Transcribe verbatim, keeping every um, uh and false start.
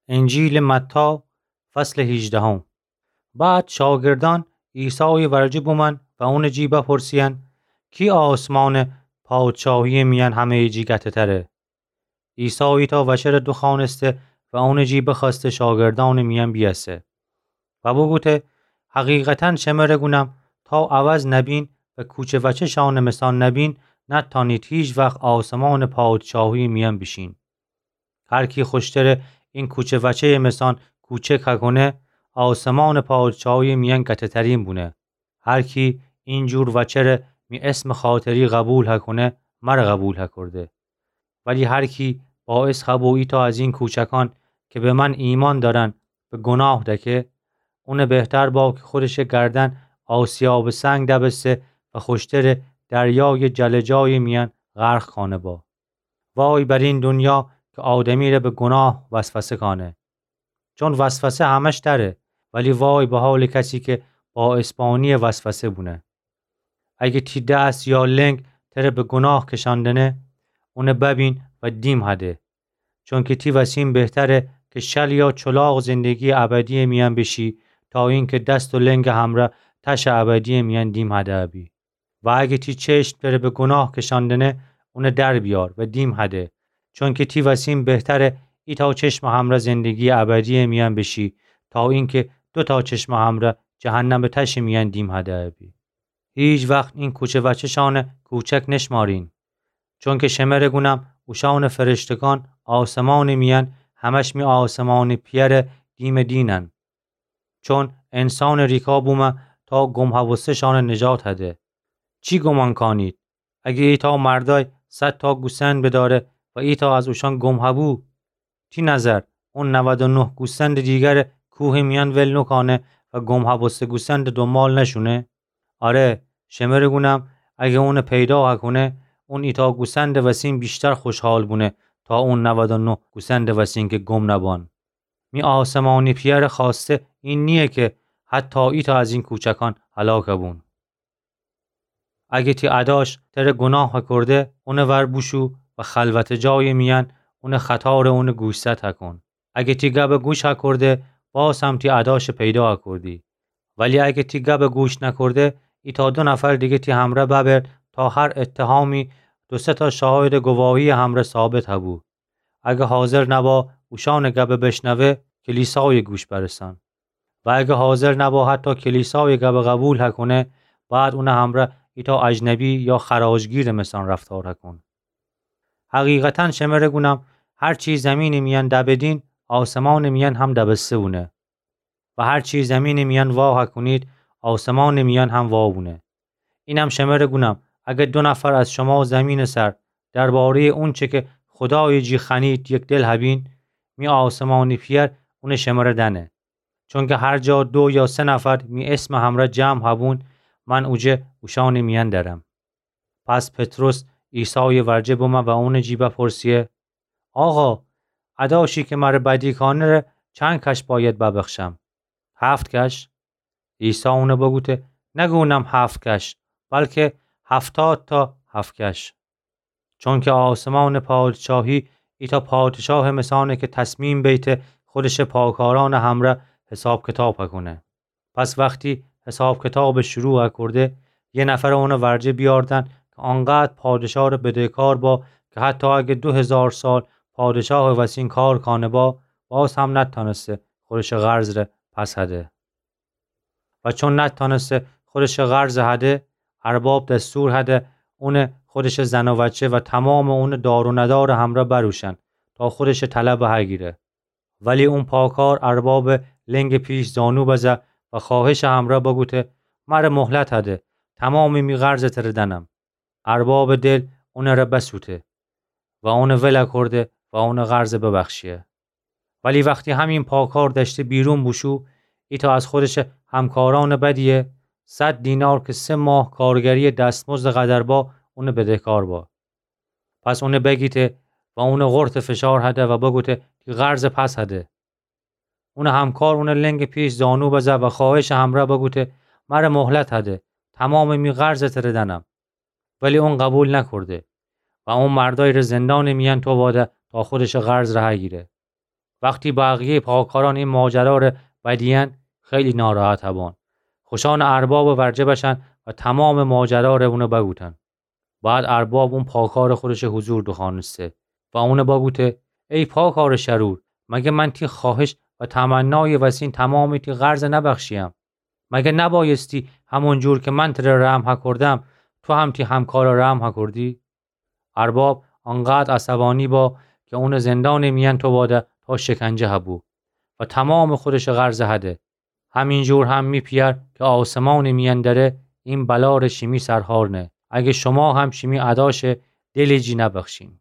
انجیلٚ متی، فصلٚ هیجدهم. بعد شاگردأن عیسایٚ ورجه بومأن و اونٚ جی بپرسییأن: کی آسمانٚ پادشاهی‌یٚ میأن همه‌یٚ جی گته‌تره؟ عیسی ایتأ وچه ره دوخوأنسته و اونٚ جی بخوأسته شاگردأنٚ میأن بیأسه و بوگوته: حقیقتاً شمره گونم، تا عوض نبین و کوچه وچه‌شأنٚ مثان نبین، نتأنید هیچ وخت آسمانٚ پادشاهی‌یٚ میأن بیشین. هر کی خوشتره این کوچه وچه‌یٚ مثان کوچک هکونه، آسمانٚ پادشاهی‌یٚ میأن گته‌ترین بونه. هر کی این جور وچه ره می اسمٚ خاطری قبول هکونه، مره قبول هکورده. ولی هر کی باعث هبو ایتأ از این کوچکان که به من ایمأن دأرن به گوناه دکه، اونه بهتر با که خودشٚ گردن آسیابٚ سنگ دبسه و خوشتره دریایٚ جلجایٚ میأن غرق کانه با. وای بر این دونیا که آدمی ره به گوناه وسوسه کانه. چون وسوسه همش دأره، ولی وای به حالٚ کسی که باعثبانی‌یٚ وسوسه بونه. اگه تی دست یا لنگ تره به گوناه کشأندنه، اونه ببین و دیم هده. چونکه تی وسین بهتره که شل یا چلاق زندگی‌یٚ ابدی‌یٚ میأن بشی، تا اینکه دست و لنگٚ همرأ تشٚ ابدی‌یٚ میأن دیم هده بی. و اگه تی چشم تره به گوناه کشأندنه، اونه در بیار و دیم هده. چونکه تی وسین بهتره ایتأ چشمٚ همرأ زندگی‌یٚ ابدی‌یٚ میأن بشی، تا اینکه دوتأ چشمٚ همرأ جهنمٚ تشٚ میأن دیم هده بی. هیچ وخت این کوچه وچه‌شأنٚ کوچک نشمارین. چونکه شمره گونم، اوشأنٚ فرشتگان آسمانٚ میأن همش می آسمانٚ پی‌یأره دیمٚ دینن. چون انسانٚ ریکا بومه تا گم هبوسته‌شأنٚ نجات هده. چی گومان کانید؟ اگه ایتأ مردأی صدتأ گوسند بدأره و ایتأ از اوشأن گم هبو، تی نظر اون نود و نه گوسندٚ دیگره کوهٚ میأن ول نوکانه و گم هبوسته گوسندٚ دونبال نشونه؟ آره، شمره گونم، اگه اونه پیدا هکونه، اون ایتأ گوسندٚ وسین ویشتر خوشحال بونه تا اون نود و نه گوسندٚ وسین که گم نبان. می آسمانٚ پی‌یأره خوأسته این نییه که حتی ایتأ از این کوچکان هلاک بون. اگه تی اداش تره گوناه هکورده، اونٚ ور بوشو و خلوتٚ جایٚ میأن اونٚ خطا ره اونٚ گوشزد هکون. اگه تی گبٚ گوش هکورده، باز هم تی اداشٚ پیدا هکوردی. ولی اگه تی گبٚ گوش نکورده، ایتأ دو نفر دیگه تی همرأ ببر تا هر اتهامی دو سه‌تأ شاهدٚ گواهی‌یٚ همرأ ثابت هبو. اگه حاضر نبا اوشأنٚ گبٚ بشنوه، کلیسایٚ گوش برسان. و اگه حاضر نبا حتی کلیسایٚ گبٚ قبول هکونه، بعد اونٚ همرأ ایتأ اجنبی یا خراجگیرٚ مثان رفتار هکون. حقیقتاً شمره گونم، هر چی زمینٚ میأن دبدین، آسمانٚ میأن هم دبسته بونه. و هر چی زمینٚ میأن وا هکونید، آسمانٚ میأن هم وا بونه. اینم شمره گونم، اگه دو نفر از شما زمینٚ سر درباره‌یٚ اونچه که خودایٚ جی خوأنید یک دل هبین، می آسمانٚ پی‌یأر اونه شمره دأنه. چونکه هر جا دو یا سه نفر می اسمٚ همرأ جمع هبون، من اوجه اوشأنٚ میأن درم. پس پطرس عیسایٚ ورجه بمه و اونٚ جی بپرسه: آقا، اداشی که مره بدی کانه ره چند کش باید ببخشم؟ هفت کش؟ عیسی اونه بگوته: نگونم هفت کش، بلکه هفتاد تا هفت کش. چونکه آسمانٚ پادشاهی ایتأ پادشاهٚ مثانه که تصمیم بیته خودشٚ پاکارأنٚ همرأ حساب کتاب هکونه. پس وختی حساب کتابٚ شروع هکورده، یه نفر اونٚ ورجه بیاردن که آنقدر پادشاه ره بدهکار با که حتی اگه دو هزار سال پادشاهٚ وسین کار کانه با، باز هم نتأنسته خودشٚ قرض ره پس هده. و چون نتأنسته خودشٚ قرض هده، ارباب دستور هده اونٚ خودشٚ زن و وچه و تمامٚ اونٚ دار و ندارٚ همرأ بروشن تا خودشٚ طلبٚ هگیره. ولی اون پاکار اربابٚ لنگٚ پیش زانو بزه و خواهشٚ همرأ بگوته: مره مهلت هده، تمامٚ می قرضٚ تره دأنم. اربابٚ دل اونٚ ره بسوته و اونٚ ول اکورده و اونٚ قرضٚ ببخشیه. ولی وختی همین پاکار دأشته بیرون بوشو، ایتأ از خودشٚ همکارأنٚ بدیه صد دینار که سه ماه کارگریٚ دستمزدٚ قدر با، اونٚ بدهکار با. پس اونٚ بگیته و اونٚ قرطٚ فشار هده و بگوته: تی قرضٚ پس هده. اونٚ همکار اونٚ لنگٚ پیش زانو بزه و خواهشٚ همرأ بگوته: مره مهلت هده، تمامٚ می قرضٚ تره دأنم. ولی اون قبول نکورده و اون مردأی ره زندانٚ میأن توواده تا خودشٚ قرض ره هگیره. وختی بقیه‌یٚ پاکارأن ای ماجرا ره بدیین، خیلی ناراحت بون. خوشأنٚ اربابٚ ورجه بشن و تومامٚ ماجرا ره اونه بگوتن. بعد ارباب او پاکارٚ خودشٚ حضور دوخوأنسته و اونه بگوته: ای پاکارٚ شرور، مگه من تی خوأهش و تمنایٚ وسین تومامٚ تی قرض نبخشییم؟ مگه نبأیستی همون جور که من تره رحم هکردم، تو هم تی همکارٚ رحم هکردی؟ ارباب انقدر عصبأنی با که اونه زندانٚ میأن توباده تا شکنجه هبو و تومامٚ خودشٚ قرض هده. همینجور هم می پیأر که آسمانٚ میأن دره، این بلا ره شیمی سرهار نه. اگه شوما هم شیمی اداشه دلٚ جی نبخشین.